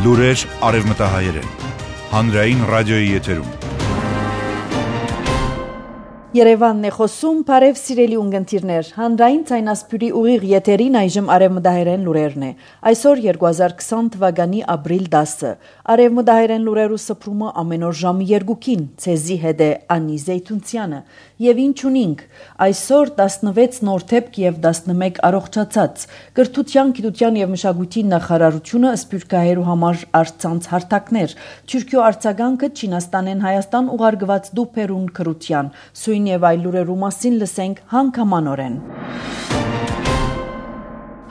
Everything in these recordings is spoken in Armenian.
Լուրեր արևմտահայերեն։ Հանրային ռադիոյի եթերում։ Երևանն է խոսում, բարև սիրելի ունգընտիրներ, հանրային ցայնասպյուրի ուղիղ եթերին այժմ արևմտահայերեն լուրերն է։ Այսօր 2020 թվականի ապրիլ 10-ը։ Արևմտահայերեն լուրերու սփռումը ամեն օր ժամի 2-ին, ցեզի հետ է Անի Զեյթունցյանը։ Եվ ինչ ունինք, այսօր 16 նորթեփք եւ 11 առողջացած։ Կրթության, գիտության եւ մշակույթի նախարարությունը սփյուռքահայերու համար արցանց հարթակներ։ Թուրքիո արձագանքը Չինաստանեն Հայաստան ուղարկված դուփերուն քրության։ Եւ այլ լուրերու մասին լսենք հանգամանորեն։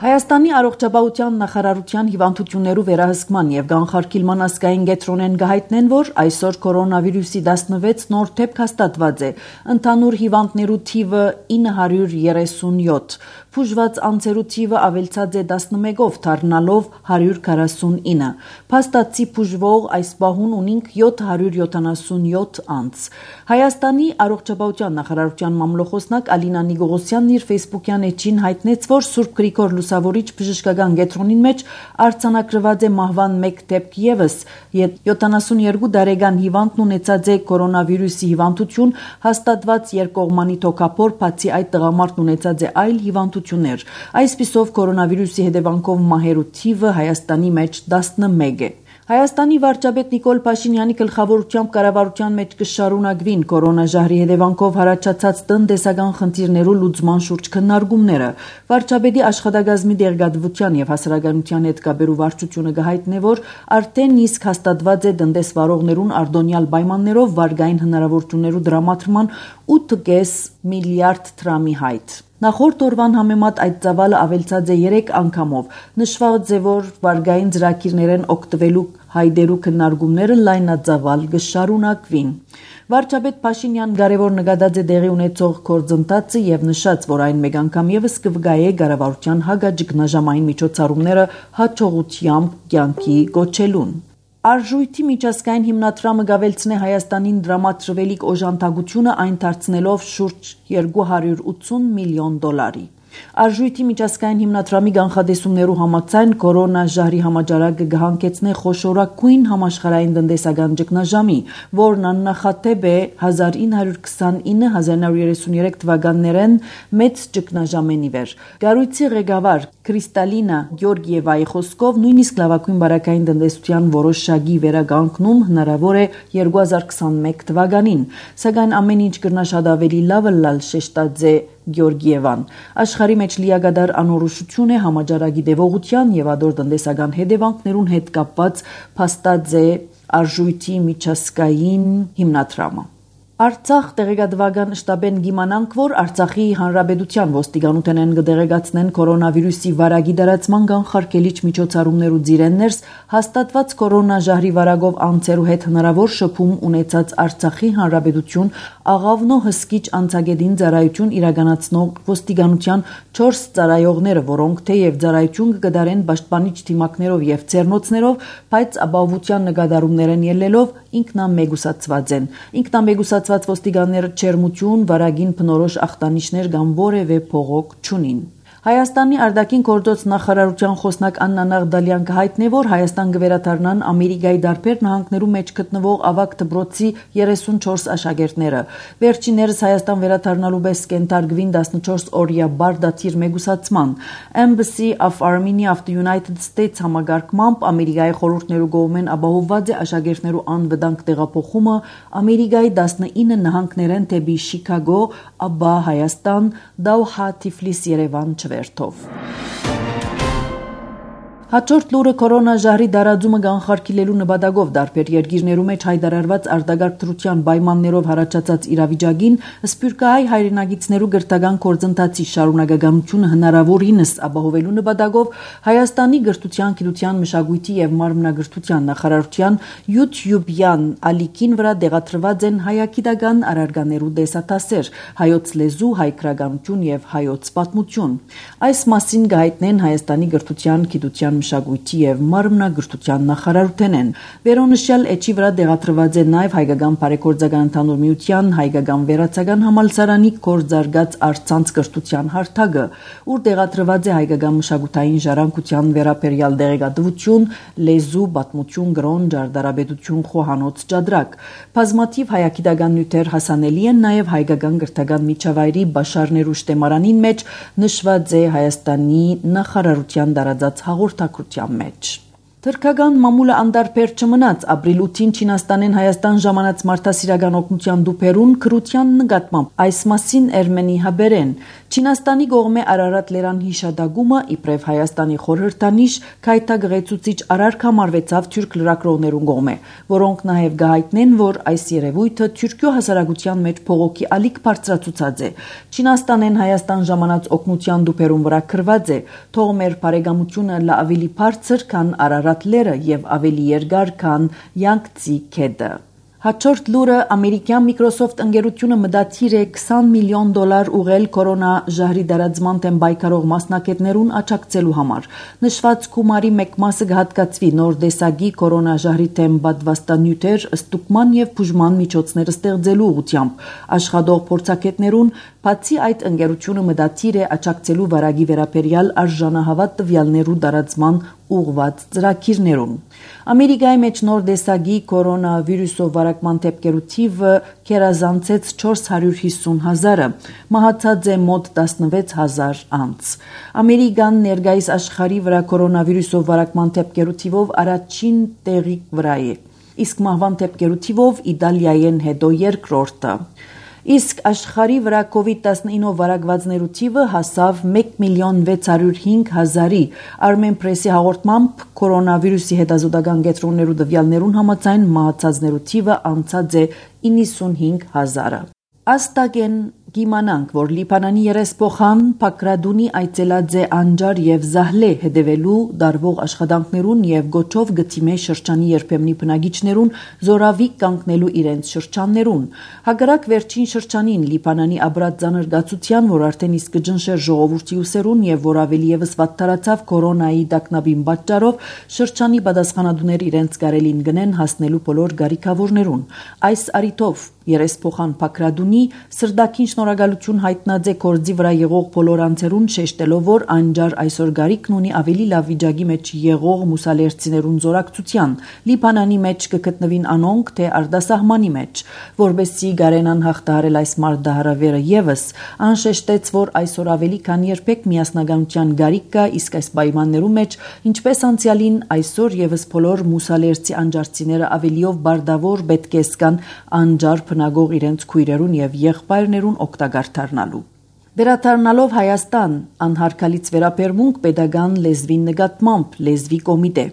Հայաստանի առողջապահության նախարարության հիվանդություններու վերահսկման եւ կանխարգելման ազգային կենտրոնեն գահիտնեն, որ այսօր կորոնավիրուսի 16 նոր դեպք հաստատված է։ Ընդհանուր հիվանդներու թիվը 937, բուժված անձերու թիվը ավելցած է 11-ով, դառնալով 149։ Փաստացի բուժվող այս պահուն ունենք 777 անձ։ Հայաստանի առողջապահության նախարարության մամլոխոսնակ Ալինա Նիգողոսյանն իր Facebook-յան էջին հայտնեց, որ Սուրբ Գրիգոր Լուսավորիչ բժշկական կենտրոնին մեջ արձանագրված է մահվան 1 դեպք եւս։ 72 տարեկան հիվանդն ունեցած է կորոնավիրուսի հիվանդություն, հաստատված երկկողմանի թոքափոր, բացի այդ տղամարդն ունեցած է այլ հիվանդություններ։ Այսպիսով կորոնավիրուսի հետևանքով մահերու թիվը Հայաստանի մեջ 11 է։ Հայաստանի վարչապետ Նիկոլ Փաշինյանի գլխավորությամբ կառավարության մեջ կշարունակվին կորոնաժահրի հետևանքով հարաճած տնտեսական խնդիրներու լուծման շուրջ քննարկումները։ Վարչապետի աշխատակազմի դերգատվության եւ հասարակայնության հետ կապերու վարչությունը կհայտնի, որ արդեն իսկ հաստատված է տնտեսվարողներուն արտոնյալ պայմաններով վարկային հնարավորություններու դրամատրման 8.5 միլիարդ դրամի հայտ։ Նախորդ օրվան համեմատ այդ ծավալը ավելցած է 3 անգամով։ Նշված է, որ վարկային ծրագիրներեն օգտվելու հայդերու քննարկումները լայնածավալ կշարունակվին։ Վարչապետ Փաշինյան կարևոր նկատած է տեղի ունեցող գործընթացը եւ նշած, որ այն մեկ անգամ եւս կվգայե կառավարության հագաճգնաժամային միջոցառումները հաջողությամբ կյանքի կոչելուն։ Արժույթի միջազգային հիմնադրամը կավելցնե Հայաստանին դրամատրվելիք օժանդակությունը, այն դարձնելով շուրջ 280 միլիոն դոլարի։ Արժույթի միջազգային հիմնադրամի կանխատեսումներու համաձայն կորոնաժահրի համաճարակը կհանգեցնե խոշորագույն համաշխարհային տնտեսական ճգնաժամի, որն աննախադեպ է 1929-1933 թվականներեն մեծ ճգնաժամեն ի վեր։ Կառույցի ղեկավար Կրիստալինա Գյորգիևայի խոսքով նույնիսկ լավագույն բարակային տնտեսության որոշակի վերականգնում հնարավոր է 2021 թվականին, սակայն ամեն ինչ կրնա շատ ավելի լավը լալ շեշտած է Գյորգիևան։ Աշխարհի մեջ լիակատար անորոշություն է համաճարակի դեպողության եւ ադոր տնտեսական հետևանքներուն հետ կապված, փաստած է արժույթի միջազգային հիմնադրամը։ Արցախ տեղեկատվական շտաբեն գիմանանք, որ Արցախի հանրապետության ոստիկանութենեն կդեղեկացնեն կորոնավիրուսի վարակի դարացման կանխարգելիչ միջոցառումներու ծիրեններս հաստատված կորոնաժահրի վարակով անձերու հետ հնարավոր շփում ունեցած Արցախի հանրապետություն աղավնո հսկիչ անցագետին ծառայություն իրականացնող ոստիկանության 4 ծառայողները, որոնք թեև ծառայություն կգդարեն պաշտպանիչ թիմակներով եւ ցերնոցներով, բայց ապահովության նկատառումներեն ելնելով ինքնամեգուսացված են։ Ինքնամեգուսացված ոստիկանները չերմություն, վարագին բնորոշ ախտանիշներ կամ որևէ փողոք չունին։ Հայաստանի արտաքին գործոց նախարարության խոսնակ Աննա Նաղդալյան կհայտնի, որ Հայաստան կվերադառնան Ամերիկայի դարբեր նահանգներու մեջ գտնվող ավագ դպրոցի 34 աշակերտները։ Վերջիներս Հայաստան վերադառնալու պես կենթարկվին 14 օրյա բարդաթիր մեգուսացման։ Embassy of Armenia of the United States համագարկմամբ Ամերիկայի խորհուրդներու կողմեն ապահովված է աշակերտներու անվտանգ տեղափոխումը Ամերիկայի 19 նահանգներեն դեպի Շիկագո, ապա Հայաստան, Դոհա, Թիֆլիս, Երևան չվերթով։ Հաջորդ լուրը կորոնաժահրի դարաձումը կանխարգելելու նպատակով դարբեր երկիրներու մեջ հայտարարված արտագաղթ դրության պայմաններով հարաճած իրավիճակին սփյուռքահայ հայրենագիցներու գրթական գործընթացի շարունակականությունը հնարավորինս ապահովելու նպատակով Հայաստանի գրթության, գիտության, մշակույթի եւ մարմնագրթության նախարարության YouTube-յան ալիքին վրա դեղատրված են հայագիտական առարկաներու դեսատասեր, հայոց լեզու, հայ գրականություն եւ հայոց պատմություն։ Այս մասին գայտնեն Հայաստանի գրթության, գիտության մշակույթի եւ մարմնագրթության նախարարութենեն։ Վերոնշյալ էջի վրա դեղատրված է նաեւ Հայկական բարեգործական ընդհանուր միության Հայկական վերացական համալսարանի կորձարգած առցանց կրթության հարթակը, ուր դեղատրված է հայկական մշակութային ժառանգության վերաբերյալ դեղեկատվություն, լեզու, պատմություն, գրոն, ջարդարաբեդություն, խոհանոց, ջադրակ։ Բազմաթիվ հայագիտական նյութեր հասանելի են նաեւ հայկական գրթական միջավայրի Բաշարներու շտեմարանին մեջ նշված է Հայաստանի նախարարության դարաձած հաղորդակցության մեջ։ Թրքական մամուլը անդարբեր չմնաց ապրիլ 8-ին Չինաստանեն Հայաստան ժամանած մարդասիրական օգնության դուփերուն քրության նկատմամբ այս մասին Էրմենի հաբերեն Չինաստանի կողմէ Արարատ լերան հիշադակումը իբրև Հայաստանի խորհրդանիշ քայթագղեցուցիչ արարք համարվեցավ թուրք լրագրողներուն կողմէ, որոնք նաև գահիտնեն, որ այս երևույթը թուրքիո հասարակության մեջ փողոքի ալիք բարձրացուցած է։ Չինաստանեն Հայաստան ժամանած օգնության դուփերուն վրա քրված է, թող մեր բարեկամությունը լա ավելի բարձր, քան Արարատ լերը եւ ավելի երկար, քան Յանգցի քեդը։ Հաջորդ լուրը ամերիկյան Microsoft ընկերությունը մտադիր է $20 միլիոն ուղղել կորոնա ժահրի դարածման դեմ պայքարող մասնակիցներուն աջակցելու համար։ Նշված գումարի մեկ մասը կհատկացվի նոր տեսակի կորոնա ժահրի դեմ պատվաստանյութեր, ստուգման եւ բուժման միջոցներ ստեղծելու ուղղությամբ։ Աշխատող փորձագետներուն բացի այդ ընկերությունը մտադիր է աջակցելու վարագի վերաբերյալ արժանահավատ տվյալներու դարածման ուղղված ծրագիրներուն։ Ամերիկայի մեջ նոր տեսակի կորոնավիրուսով վարակման դեպքերու թիվը կերազանցեց 450,000-ը, մահացած է մոտ 16,000 անց։ Ամերիկան ներկայիս աշխարհի վրա կորոնավիրուսով վարակման դեպքերու թիվով առաջին տեղի վրա է, իսկ մահվան դեպքերու թիվով Իտալիայեն հետո երկրորդը։ Իսկ աշխարհի վրա COVID-19 վարակվածներու թիվը հասավ 1,605,000-ի։ Armen Press-ի հաղորդմամբ կորոնավիրուսի հետազոտական կենտրոններու տվյալներուն համաձայն մահացածներու թիվը անցած է 95,000-ը։ Աստագեն գիմանանք, որ Լիբանանի երեսփոխան Փակրադունի այցելած է Անջար եւ Զահլե հետևելու դարվող աշխատանքներուն եւ գոչով գտիմե շրջանի երբեմնի բնակիչներուն զորավիկ կանգնելու իրենց շրջաններուն։ Հակառակ վերջին շրջանին Լիբանանի աբրած ծանր գացության, որ արդեն իսկ կջնշեր ժողովրդի ուսերուն եւ որ ավելի եւս վատթարացավ կորոնայի տակնաբին պատճառով, շրջանի պատասխանատուներ իրենց կարելին գնեն հասնելու բոլոր գարիքավորներուն։ Այս արիթով երեսփոխան Փակրադունի սրդակին շնորհակալություն հայտնած է կորձի վրա եղող բոլոր անձերուն, շեշտելով, որ Անջար այսօր գարիքն ունի ավելի լավ վիճակի մեջ եղող մուսալերցիներուն զորակցության, Լիբանանի մեջ կգտնվին անոնք, թե արտասահմանի մեջ, որբեսի գարենան հաղթահարել այս մարտահրավերը եւս, անշեշտեց, որ այսօր ավելի քան երբեք միասնականության գարիք կա, իսկ այս պայմաններու մեջ, ինչպես անցյալին, այսօր եւս բոլոր մուսալերցի անջարցիները ավելիով բարդավոր պետք է զգան Անջար բնագող իրենց քույրերուն եւ եղբայրներուն օգտակար դառնալու։ Վերադառնալով Հայաստան, անհարգալից վերաբերմունք պետական լեզվի նկատմամբ լեզվի կոմիտե։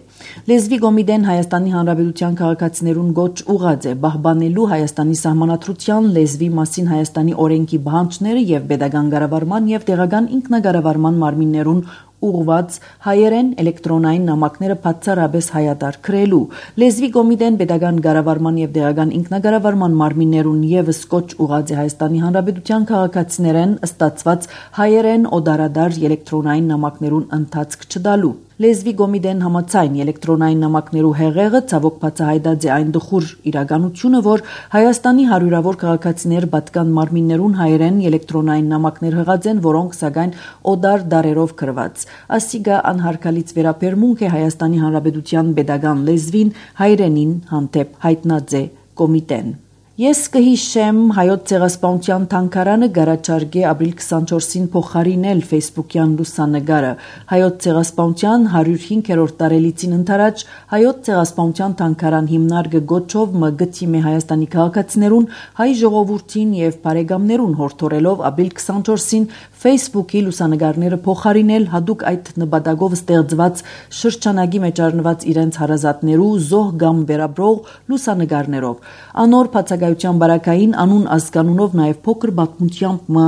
Լեզվի կոմիտեն Հայաստանի Հանրապետության քաղաքացիներուն գոչ ուղղած է պահպանելու Հայաստանի սահմանադրության լեզվի մասին Հայաստանի օրենքի բանջները եւ պետական կառավարման եւ տեղական ինքնակառավարման մարմիններուն ուղված հայերեն էլեկտրոնային նամակները բացառապես հայատար քրելու։ Լեզվի կոմիտեն պետական կառավարման եւ տեղական ինքնակառավարման մարմիններուն եւս կոչ ուղղած է Հայաստանի Հանրապետության քաղաքացիներեն ստացված հայերեն օդարադար էլեկտրոնային նամակներուն ընթացք չտալու։ Լեզվի կոմիտեն համաձայն էլեկտրոնային նամակներու հեղեղը ցավոք բացահայտած է այն դխուր իրականությունը, որ Հայաստանի հարյուրավոր քաղաքացիներ պատկան մարմիններուն հայերեն էլեկտրոնային նամակներ հղած են, որոնք սակայն օդար դարերով գրված։ Ասիգա անհարգալից վերաբերմունք է Հայաստանի Հանրապետության պետական լեզվին հայրենին հանդեպ հայտնած է կոմիտեն։ Ես կհիշեմ հայոց ցեղասպանության թանգարանը գարաչարգե ապրիլ 24-ին փոխարինել Facebook-յան լուսանկարը։ Հայոց ցեղասպանության 105-րդ տարելիցին ընթരാճ հայոց ցեղասպանության թանգարան հիմնարկը գոչով մգտիմե Հայաստանի քաղաքացիներուն, հայ ժողովրդին եւ բարեկամներուն հորդորելով ապրիլ 24-ին Facebook-ի լուսանկարները փոխարինել հadoop այդ նպատակով ստեղծված շրջանագի մեջ առնված իրենց հարազատներու զոհ կամ վերաբրող լուսանկարներով։ Անոր բացակայության բարակային անուն ազգանունով նաև փոքր պատմությամբ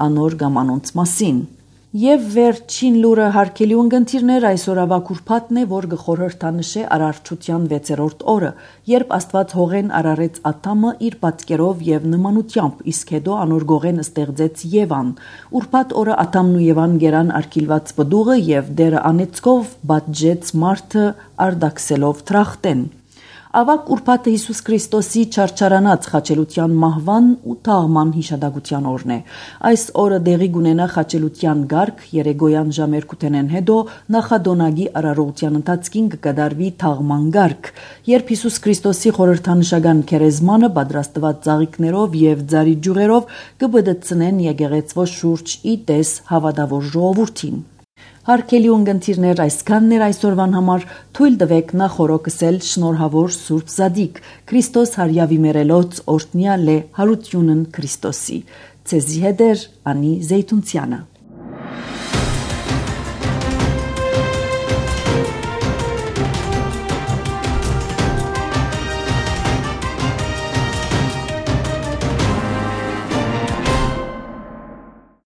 անոր կամ անոնց մասին։ Եվ վերջին լուրը հարգելի ունգընտիրներ այսօր ավակ ուրբաթն է, որ գխորհրդանշե արարչության 6-րդ օրը, երբ Աստված հողեն արարեց Ադամը իր պատկերով եւ նմանությամբ, իսկ հետո անոր գողեն ստեղծեց Եվան։ Ուրբաթ օրը Ադամն ու Եվան գերան արգիլված պդուղը եւ դերը անեծկով բաժեց մարդը արդակսելով թրախտեն։ Ավակ ուրբաթը Հիսուս Քրիստոսի չարչարանած խաչելության մահվան ու թաղման հիշադակության օրն է։ Այս օրը դեղի կունենա խաչելության գարկ, երեգոյան ժամ 2-ն հետո նախադոնագի արարողության ընթացքին կկատարվի թաղման գարկ, երբ Հիսուս Քրիստոսի խորհրդանշական քերեզմանը պատրաստված ծաղիկներով եւ ձարի ջուղերով կբդցնեն եկեղեցվո շուրջ ի տես հավատավոր ժողովրդին։ Հարգելի ունգընտիրներ, այսքանն էր այսօրվան համար, թույլ տվեք նախորոքսել շնորհավոր Սուրբ Զադիկ, Քրիստոս հարյավի մերելոց օրհնյալ է հարությունն Քրիստոսի։ Ցեզի հետ էր Անի Զեյթունցյանը։